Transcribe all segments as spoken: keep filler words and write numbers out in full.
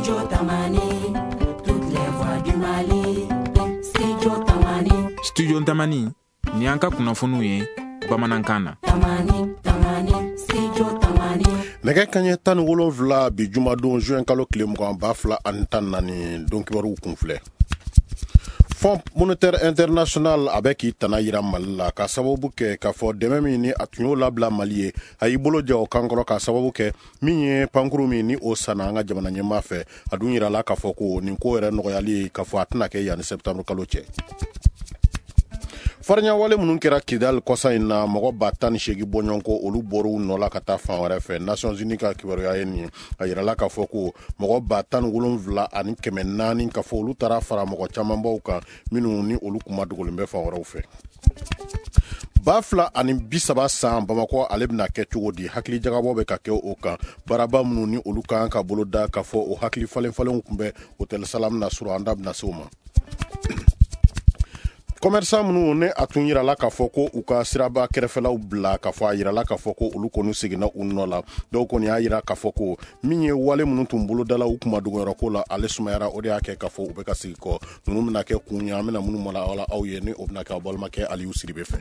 Studio Tamani, toutes les voix du Mali. Studio Tamani. Studio Tamani, ni an ka kunnafoniw ye bamanankan na. Tamani, Tamani, Studio Tamani. Nɛgɛ kaɲɛ tan ni wolonfila bi jumadon juin kalo tile mugan ba fila ani tan naani, don kibaruw kun filɛ. Fonds monétaire international a bɛ k'i tana yira Mali la ka sababu kɛ k'a fɔ dɛmɛ min ni a tun y'o labila Mali ye, a y'i bolo jɔ o kan kɔrɔ ka sababu kɛ min ye pankuru min ni o sanna an ka jamana ɲɛmaa fɛ. A dun yirala k'a fɔ ko nin ko yɛrɛ nɔgɔyali ye k'a fɔ a tɛna kɛ yanni septembre kalo cɛ. Farinyawale minnu kɛra Kidal kɔsa in na, mɔgɔ ba tan ni seegin bɔɲɔgɔnko olu bɔr'u nɔ la ka taa fan wɛrɛ fɛ. Nations Unies ka kibaruya ye nin ye. A yirala k'a fɔ ko mɔgɔ ba tan ni wolonwula ani kɛmɛ naani k'a fɔ olu taara fara mɔgɔ camanbaw kan minnu ni olu kuma dogolen bɛ fan wɛrɛw fɛ. Ba fila ani bi saba san Bamakɔ ale bɛna kɛ cogo di? Hakili jagabɔ bɛ ka kɛ o kan. Baaraba minnu ni olu kan ka boloda k'a fɔ o hakili falen falenw tun bɛ Hôtel Salam na surɔ, an da bɛna se o ma. Commerçant minnu ne a tun yirala k'a fɔ ko u ka siraba kɛrɛfɛlaw bila, k'a fɔ a yirala k'a fɔ ko olu kɔni seginna u nɔ la. Dɔw kɔni y'a yira k'a fɔ ko min ye wale minnu tun bolodala u kuma dogoyɔrɔ ko la, ale sumayara, o de y'a kɛ k'a fɔ u bɛ ka segin kɔ. Ninnu bɛna kɛ kun ye, an bɛna minnu mara aw la aw ye, ni o bɛna kɛ aw balimakɛ Aliyu Siribe fɛ.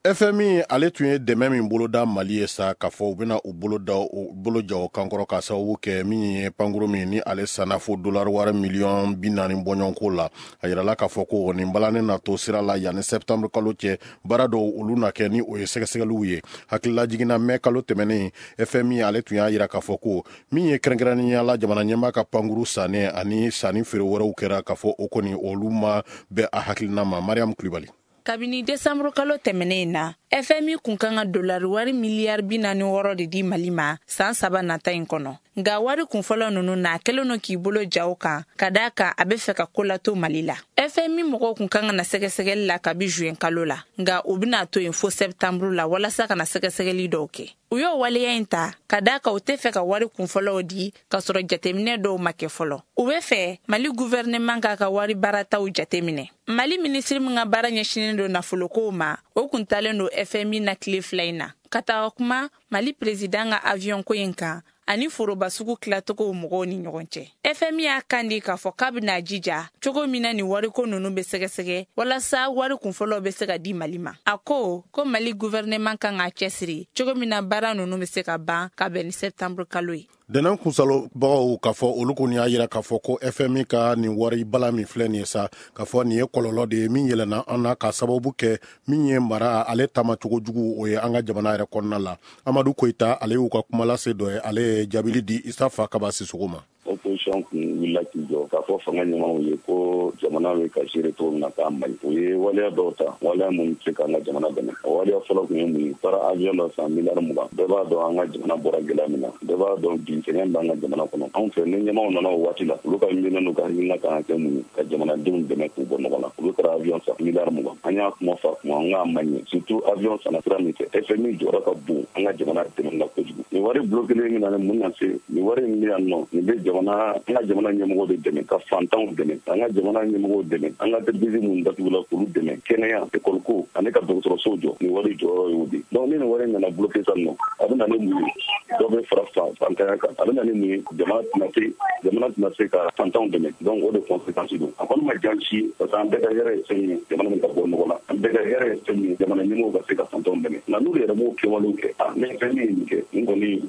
F M I ale tun ye dɛmɛ min boloda Mali ye sa, k'a fɔ u bɛna u bolo da u bolo jɔ o kan kɔrɔ ka sababu kɛ min ye pankuru min ni ale sanna fo dollar wari miliyɔn bi naani bɔɲɔgɔnko la. A yirala k'a fɔ ko nin balannen na to sira la yanni septembre kalo cɛ, baara dɔw olu na kɛ ni o ye sɛgɛsɛgɛliw ye. Hakilila jiginna mɛ kalo tɛmɛnen, F M I ale tun y'a yira k'a fɔ ko min ye kɛrɛnkɛrɛnnenya la jamana ɲɛmaa ka pankuru sannen ani sanni feere wɛrɛw kɛra, k'a fɔ o kɔni olu ma bɛn a hakilina ma. Mariam Kulibali. Kabini desanburu kalo tɛmɛnen in na, F M I kun kan ka dolari wari miliyari bi naani wɔɔrɔ de di Mali ma san saba nata in kɔnɔ. Nka wari kunfɔlɔ ninnu na, a kɛlen don k'i bolo ja o kan ka d'a kan a bɛ fɛ ka ko lato Mali la. F M I mɔgɔw kun kan ka na sɛgɛsɛgɛli la kabi juin kalo la, nka u bɛna to yen fo septembre la walasa ka na sɛgɛsɛgɛli dɔw kɛ. U y'o waleya in ta ka d'a kan u tɛ fɛ ka wari kunfɔlɔw di k'a sɔrɔ jateminɛ dɔw ma kɛ fɔlɔ. U bɛ fɛ Mali gouvernement k'a ka wari baarataw jateminɛ. Mali minisiri min ka baara ɲɛsinnen don nafolokow ma, o kun talen don F M I na tile fila in na ka taga kuma Mali président ka avion ko in kan ani foroba sugu tilacogow mɔgɔw ni ɲɔgɔn cɛ. F M I y'a kan di k'a fɔ k'a bɛna jija cogo min na nin wariko ninnu bɛ sɛgɛsɛgɛ walasa wari kunfɔlɔw bɛ se ka di Mali ma. A ko ko Mali gouvernement kan k'a cɛsiri cogo min na baara ninnu bɛ se ka ban ka bɛn ni septembre kalo ye. Dɛnɛn kunsalobagaw k'a fɔ olu kɔni y'a yira k'a fɔ ko F M I ka nin wari bala min filɛ nin ye sa, k'a fɔ nin ye kɔlɔlɔ de ye min yɛlɛnna an na ka sababu kɛ min ye mara ale taamacogo jugu o ye an ka jamana yɛrɛ kɔnɔna la. Amadu Koyita ale y'u ka kuma lase dɔ ye, ale ye jaabili di Isa Fakaba Sisoko ma. Opposition kun wulila k'i jɔ k'a fɔ fanga ɲɛmaaw ye ko jamana bɛ ka gérer cogo min na k'a man ɲi. U ye waleya dɔw ta, waleya minnu tɛ se k'an ka jamana dɛmɛ. O waleya fɔlɔ kun ye mun ye? Taara avion dɔ san miliyari mugan. Bɛɛ b'a dɔn an ka jamana bɔra gɛlɛya min na, bɛɛ b'a dɔn bi sɛgɛn b'an ka jamana kɔnɔ. Anw fɛ ni ɲɛmaaw nana o waati la, olu ka miirina n'u ka hakilina kan ka kɛ mun ye? Ka jamanadenw dɛmɛ k'u bɔ nɔgɔ la. Olu taara avion san miliyari mugan. An y'a kuma fɔ a kuma, n k'a man ɲi. Surtout avion sanna sira min fɛ, F M I jɔyɔrɔ ka bon an ka jamana dɛmɛ la kojugu. Nin wari bloqué min na, mun na se? Nin wari min bɛ yan nɔ, nin bɛ jamana an ka jamana ɲɛmɔgɔw de dɛmɛ, ka fantanw dɛmɛ, an ka jamana ɲɛmɔgɔw dɛmɛ, an ka entreprise minnu datugula k'olu dɛmɛ, kɛnɛya, école ko ani ka dɔgɔtɔrɔsow jɔ. Nin wari jɔyɔrɔ y'o de. Donc ni nin wari nana bloqué sisan nɔ, a bɛ na ni mun ye? Dɔ bɛ fara fantanya kan. A bɛ na ni mun ye? Jamana tɛna se jamana tɛna se ka fantanw dɛmɛ. Donc o de conséquence don. A kɔni ma diya si, parce que an bɛɛ ka hɛrɛ ye fɛn min ye, jamana min ka bɔ nɔgɔ la, an bɛɛ ka hɛrɛ ye fɛn min ye, jamana ɲɛmɔgɔw ka se ka fantanw dɛmɛ. Nka n'olu yɛrɛ m'o kɛwalew kɛ, a ne fɛn min ye nin kɛ, nin kɔni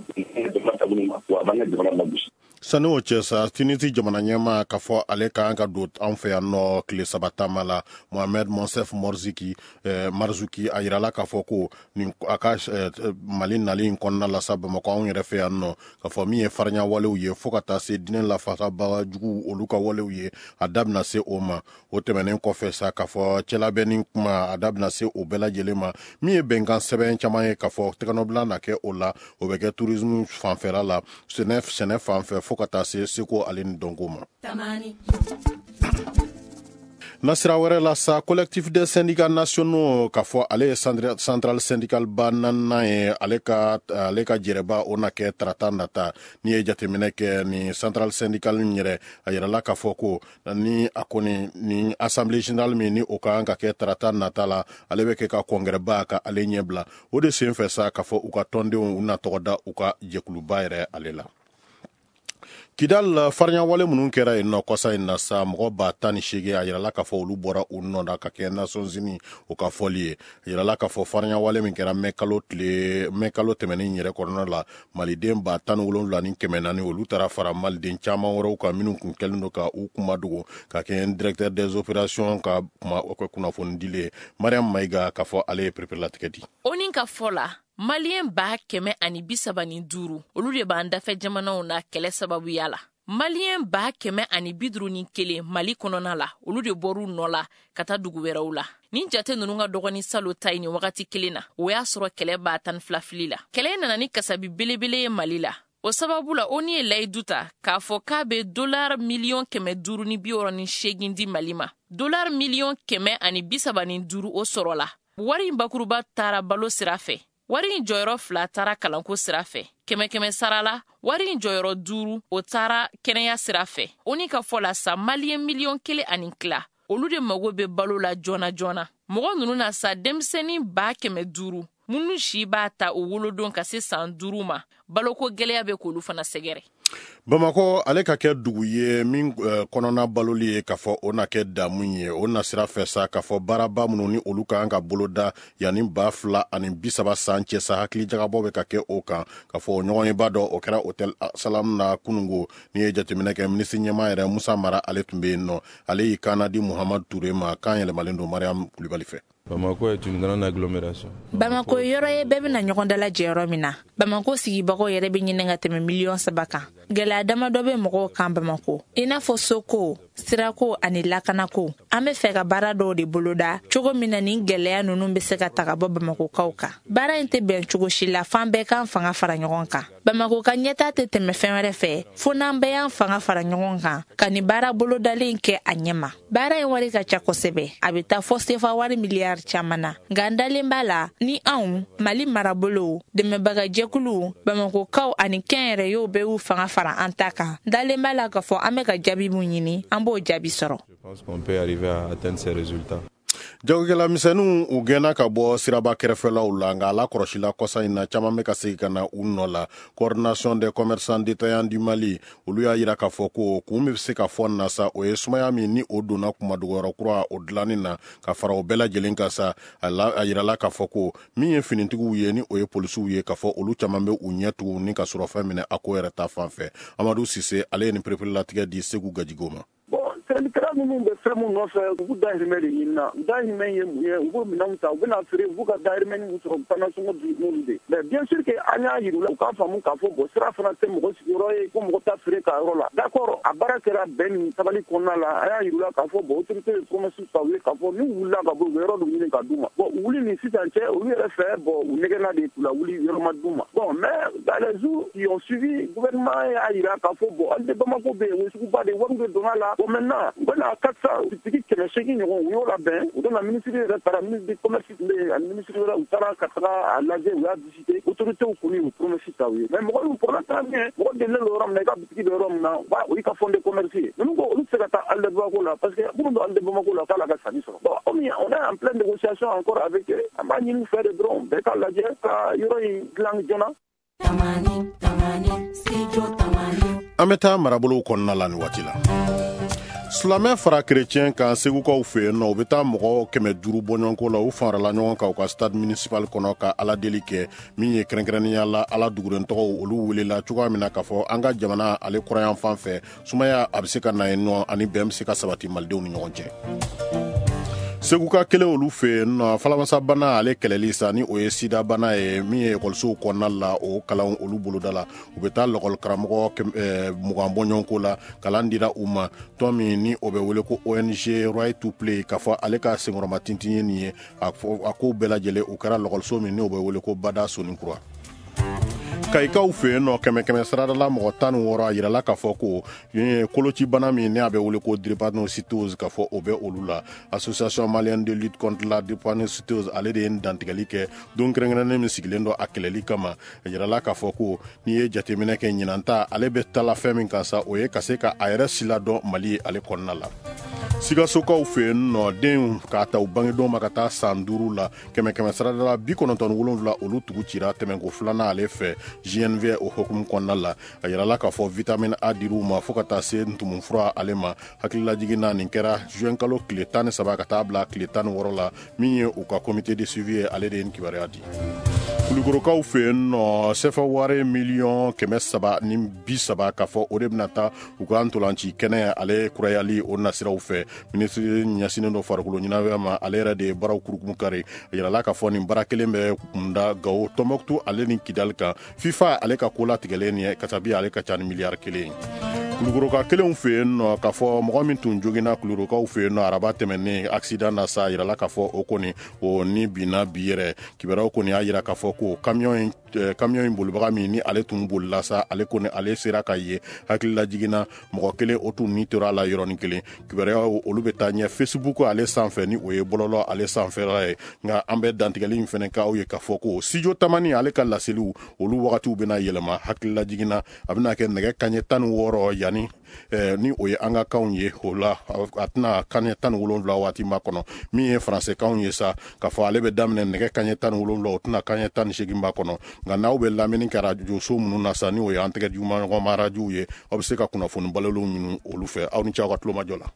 jamana taabolo ma, wa a b'an ka jamana lagosi. Sani o cɛ sa, Tunisi jamana ɲɛmaa k'a fɔ ale ka kan ka don an fɛ yan nɔ tile saba taama la, Mohamed Monsef Morziki eh, Marzuki a yirala k'a fɔ ko nin a ka eh, Mali nali in kɔnɔna la sa, Bamakɔ anw yɛrɛ fɛ yan nɔ, k'a fɔ min ye farinya walew ye fo ka taa se diinɛ lafasabaga juguw olu ka walew ye, a da bɛna se o ma. O tɛmɛnen kɔfɛ sa, k'a fɔ cɛlabɛnni kuma a da bɛna se o bɛɛ lajɛlen ma. Min ye bɛnkan sɛbɛn caman ye k'a fɔ tɛgɛnɔbila na kɛ o la, o bɛ kɛ tourisme fanfɛla la, sɛnɛ sɛnɛ fanfɛ fo ka taa se seko ale ni dɔnko ma. Nasira wɛrɛ la sa, Collectif des syndicats nationaux, k'a fɔ ale ye centrale syndicale ba naaninan ye, ale ka ale ka jɛrɛba o na kɛ tarata nata. N'i ye jateminɛ kɛ ni centrale syndicale in yɛrɛ, a yirala k'a fɔ ko ni a kɔni ni assemblée générale min ni o ka kan ka kɛ tarata nata la, ale bɛ kɛ ka congrès ba ka ale ɲɛ bila. O de sen fɛ sa, k'a fɔ u ka tɔndenw u na tɔgɔ da u ka jɛkuluba yɛrɛ ale la. Kidal, farinyawale minnu kɛra yen nɔ kɔsa in na sa, mɔgɔ ba tan ni seegin, a yirala k'a fɔ olu bɔra u nɔ na ka kɛ Nations Unies o ka fɔli ye. A yirala k'a fɔ farinyawale min kɛra mɛ kalo tile mɛ kalo tɛmɛnen yɛrɛ kɔnɔna la, maliden ba tan ni wolonwula ni kɛmɛ naani, olu taara fara maliden caman wɛrɛw kan minnu kun kɛlen don ka u kuma dogo ka kɛ directeur des opérations ka kuma kunnafoni dili ye. Mariam Mayiga, k'a fɔ ale ye pereperelatigɛ di. O ni ka fɔ la, Maliyɛn ba kɛmɛ ani bi saba ni duuru, olu de b'an dafɛ jamanaw na kɛlɛ sababuya la. Maliyɛn ba kɛmɛ ani bi duuru ni kelen Mali kɔnɔna la, olu de bɔr'u nɔ la ka taa dugu wɛrɛw la. Nin jate ninnu ka dɔgɔni salo ta ye nin wagati kelen na, o y'a sɔrɔ kɛlɛ b'a tan ni fila fili la. Kɛlɛ nana ni kasabi belebele ye Mali la. O sababu la, O N U ye layidu ta k'a fɔ k'a bɛ dolari miliyɔn kɛmɛ duuru ni bi wɔɔrɔ ni seegin di Mali ma. Dolari miliyɔn kɛmɛ ani bi saba ni duuru, o sɔrɔla. Wari in bakuruba taara balo sira fɛ, wari in jɔyɔrɔ fila taara kalanko sira fɛ, kɛmɛ kɛmɛ sara la, wari in jɔyɔrɔ duuru, o taara kɛnɛya sira fɛ. O ni ka fɔ la sa, Maliyɛn miliyɔn kelen ani tila, olu de mago bɛ balo la joona joona. Mɔgɔ ninnu na sa, denmisɛnnin ba kɛmɛ duuru minnu si b'a ta o wolodon ka se san duuru ma, baloko gɛlɛya bɛ k'olu fana sɛgɛrɛ. Bamakɔ, ale ka kɛ dugu ye min kɔnɔna baloli ye, k'a fɔ o na kɛ damu ye. O nasira fɛ sa, k'a fɔ baaraba minnu ni olu ka kan ka boloda yanni ba fila ani bi saba san cɛ sa, hakili jagabɔ bɛ ka kɛ o kan. K'a fɔ o ɲɔgɔnyeba dɔ o kɛra Hôtel Salam na kunungo. N'i ye jateminɛ kɛ, minisiri ɲɛmaa yɛrɛ Musa Mara, ale tun bɛ yen nɔ. Ale y'i kan di Muhamadu Ture ma, kan yɛlɛmalen don Mariam Kulibali fɛ. Bamako est une grande agglomération. Bamako ye yɔrɔ ye bɛɛ bɛna ɲɔgɔn dalajɛ yɔrɔ min na. Bamako sigibagaw yɛrɛ bɛ ɲini ka tɛmɛ miliyɔn saba kan. Gɛlɛya damadɔ bɛ mɔgɔw kan Bamako, i n'a fɔ soko, sirako ani lakanako. An bɛ fɛ ka baara dɔw de boloda cogo min na nin gɛlɛya ninnu bɛ se ka ta ka bɔ Bamakokaw kan. Baara in tɛ bɛn cogo si la f'an bɛɛ k'an fanga fara ɲɔgɔn kan. Bamako ka ɲɛtaa tɛ tɛmɛ fɛn wɛrɛ fɛ fo n'an bɛɛ y'an fanga fara ɲɔgɔn kan ka nin baara bolodalen kɛ a ɲɛ ma. Baara in wari ka ca kosɛbɛ, a bɛ taa fɔ sefa wari miliyari caman na, nka n dalen b'a la ni anw Mali marabolo, dɛmɛbagajɛkuluw, Bamakokaw ani kɛnyɛrɛyew bɛɛ y'u fanga fara an ta kan, n dalen b'a la k'a fɔ an bɛ ka jaabi mun ɲini, an b'o jaabi sɔrɔ. Je pense qu'on peut arriver à atteindre ces résultats. Jagokɛla misɛnninw, u gɛnna ka bɔ siraba kɛrɛfɛlaw la, nka ala kɔlɔsila kɔsa in na, caman bɛ ka segin ka na u nɔ la. Coordination des commerçants détaillants du Mali, olu y'a yira k'a fɔ ko kun bɛ se ka fɔ na sa, o ye sumaya min ni o donna kumadogoyɔrɔ kura o dilanni na ka fara o bɛɛ lajɛlen kan sa. A yirala k'a fɔ ko min ye finitigiw ye, ni o ye polisiw ye, k'a fɔ olu caman bɛ u ɲɛ tugu ni ka sɔrɔ fɛn minɛ a ko yɛrɛ ta fan fɛ. Amadu Sise, ale ye nin pereperelatigɛ di Segu Gajigo ma. Sɛnɛkɛla ninnu bɛ fɛn mun nɔfɛ, u b'u dahirimɛ de ɲini na. U dahirimɛ ye mun ye? U b'o minɛnw ta, u bɛna feere, u b'u ka dahirimɛ min sɔrɔ, u fana sɔngɔ di n'olu de. Mais bien sûr que an y'a yir'u la, u k'a faamu k'a fɔ bon, sira fana tɛ mɔgɔ sigiyɔrɔ ye ko mɔgɔ ta feere ka yɔrɔ la. D'accord, a baara kɛra bɛn ni sabali kɔnɔna la. An y'a yir'u la k'a fɔ bon, autorité ye promesse ta u ye k'a fɔ n'u wulila ka bɔ, u bɛ yɔrɔ dɔ ɲini ka d'u ma. Bon, u wuli ni sisan cɛ, olu yɛrɛ fɛ, bon, u nɛgɛnna de k'u la wuli, yɔrɔ ma d'u ma. Bon, mais dans les jours qui ont suivi, gouvernement y'a yira k'a fɔ bon, hali de Bamako bɛ yen, o ye suguba de ye, wari bɛ donna la. Bon, maintenant u bɛna quatre cent bitigi kɛmɛ seegin ɲɔgɔn, u y'o labɛn. U bɛna ministre yɛrɛ taara, ministre du commerce tun bɛ yen ani ministre wɛrɛ, u taara ka taga a lajɛ, u y'a visiter. Autorités kɔni y'u promesse ta u ye. Mais mɔgɔ y'u problème fana min ye, mɔgɔ delilen don yɔrɔ min na, i ka bitigi bɛ yɔrɔ min na, o y'i ka fond de commerce ye. Ninnu ko olu tɛ se ka taa Halles de Bamako la, parce que minnu bɛ Halles de Bamako la, k'ala ka sanni sɔrɔ. Bon, comme on est en pleine négociation encore avec eux, an b'a ɲini u fɛ de dɔrɔn bɛɛ k'a lajɛ ka yɔrɔ in dilan joona. Tamani, Tamani, Studio Tamani. An bɛ taa marabolow kɔnɔna la nin waati la. Silamɛ fara kerecɛn kan Segukaw fɛ yen nɔ, u bɛ taa mɔgɔ kɛmɛ duuru bɔɲɔgɔnko la. U farala ɲɔgɔn kan u ka stade municipal kɔnɔ ka Ala deli kɛ. Min ye kɛrɛnkɛrɛnnenya la, Ala duguren tɔgɔw, olu welela cogoya min na k'a fɔ an ka jamana ale kɔrɔyan fan fɛ, sumaya a bɛ se ka na yen nɔ ani bɛn bɛ se ka sabati malidenw ni ɲɔgɔn cɛ. Seguka kelen olu fɛ yen nɔ, falamasabana ale kɛlɛli sa, ni o ye sida bana ye, min ye ekɔlisow kɔnɔna la, o kalan olu boloda la. U bɛ taa lɔkɔli karamɔgɔ mugan bɔɲɔgɔnko la, kalan dira u ma. Tɔn min ni o bɛ wele ko O N G Right to Play, k'a fɔ ale ka senkɔrɔma tintin ye nin ye, a ko bɛɛ lajɛlen o kɛra lɔkɔliso min ni o bɛ wele ko Bada Sonikura. Kayikaw fɛ yen nɔ, kɛmɛ kɛmɛ sarada la mɔgɔ tan ni wɔɔrɔ, a yirala k'a fɔ ko kolocibana min ne a bɛ wele ko drépanocytose, k'a fɔ o bɛ olu la. Association malienne de lutte contre la drépanocytose, ale de ye dantigɛli kɛ don kɛrɛnkɛrɛnnen min sigilen don a kɛlɛli kama. A yirala k'a fɔ ko n'i ye jateminɛ kɛ, ɲinan ta ale bɛ tala fɛn min kan sa, o ye ka se ka a yɛrɛ siladɔn Mali ale kɔnɔna la. Sikasokaw fɛ yen nɔ, denw k'a ta u bangedon ma ka taa san duuru la, kɛmɛ kɛmɛ sarada la bi kɔnɔntɔn ni wolonwula, olu tugu cira tɛmɛnko filanan ale fɛ J N V o hukumu kɔnɔna la. A yirala k'a fɔ vitamine A dir'u ma fo ka taa se ntumunfura ale ma. Hakililajigin na, nin kɛra juin kalo tile tan ni saba ka taa bila tile tan ni wɔɔrɔ la. Min ye u ka comité de suivi ye, ale de ye nin kibaruya di. Kulukorokaw fɛ yen nɔ, sefa wari miliyɔn kɛmɛ saba ni bi saba, k'a fɔ o de bɛna taa u ka ntolanci kɛnɛ ale kurayali o nasiraw fɛ. Minisiri ɲɛsinnen dɔ farikolo ɲɛnajɛ ma, ale yɛrɛ de ye baaraw kurukumu kari. A yirala k'a fɔ nin baara kelen bɛ kunda Gawo, Tɔnbɔkutu ale ni Kidali kan. FIFA ale ka ko latigɛlen nin ye kasabi, ale ka ca ni miliyari kelen ye. Kulukoroka kelenw fɛ yen nɔ, k'a fɔ mɔgɔ min tun joginna Kulukorokaw fɛ yen nɔ araba tɛmɛnen accident na sa, yirala k'a fɔ o kɔni o ni binna bi yɛrɛ. Kibaruyaw kɔni y'a yira k'a fɔ ko camion in camion in bolibaga min ni ale tun bolila sa, ale kɔni ale sera ka ye. Hakilila jiginna, mɔgɔ kelen o tun ni tora a la yɔrɔnin kelen. Kibaruyaw olu bɛ taa ɲɛ Facebook ale sanfɛ, ni o ye bɔlɔlɔ ale sanfɛla ye. Nka an bɛ dantigɛli in fɛnɛ k'aw ye k'a fɔ ko Studio Tamani ale ka laseliw, olu wagatiw bɛna yɛlɛma. Hakilila jiginna, a bɛna kɛ nɛgɛ kaɲɛ tan ni wɔɔrɔ yanni eh, ni o ye an ka kanw ye, o la a tɛna kaɲɛ tan ni wolonwula waati ma kɔnɔ. Min ye faransɛkanw ye sa, k'a fɔ ale bɛ daminɛ nɛgɛ kaɲɛ tan ni wolonwula, o tɛna kaɲɛ tan ni seegin ba kɔnɔ. Nka n'aw bɛ lamɛnni kɛ arajoso minnu na sa, ni o ye an tɛgɛ jugumaɲɔgɔnma arajow ye, aw bɛ se ka kunnafoni balolenw ɲini olu fɛ. Aw ni ce aw ka tulomajɔ la.